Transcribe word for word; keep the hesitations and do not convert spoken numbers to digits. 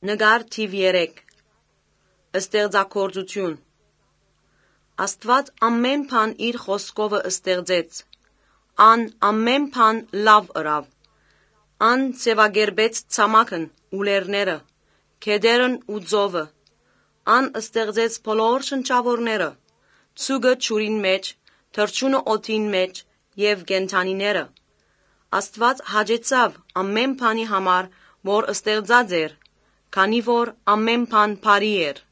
Նկար թիվ երեք Ստեղծագործություն Աստված ամեն բան իր խոսքովը ստեղծեց, ան ամեն բան լավ ըրավ, ան ձևակերպեց ցամաքն ու լեռները, գետերն ու ծովը, ան ստեղծեց բոլոր շնչավորները, ցուկը ջուրին մեջ, թռչունը օդին մեջ եւ կենդանիները։ Աստված հաճեցավ ամեն բանի համար, որ ստեղծած էր, քանի որ ամեն բան բարի էր։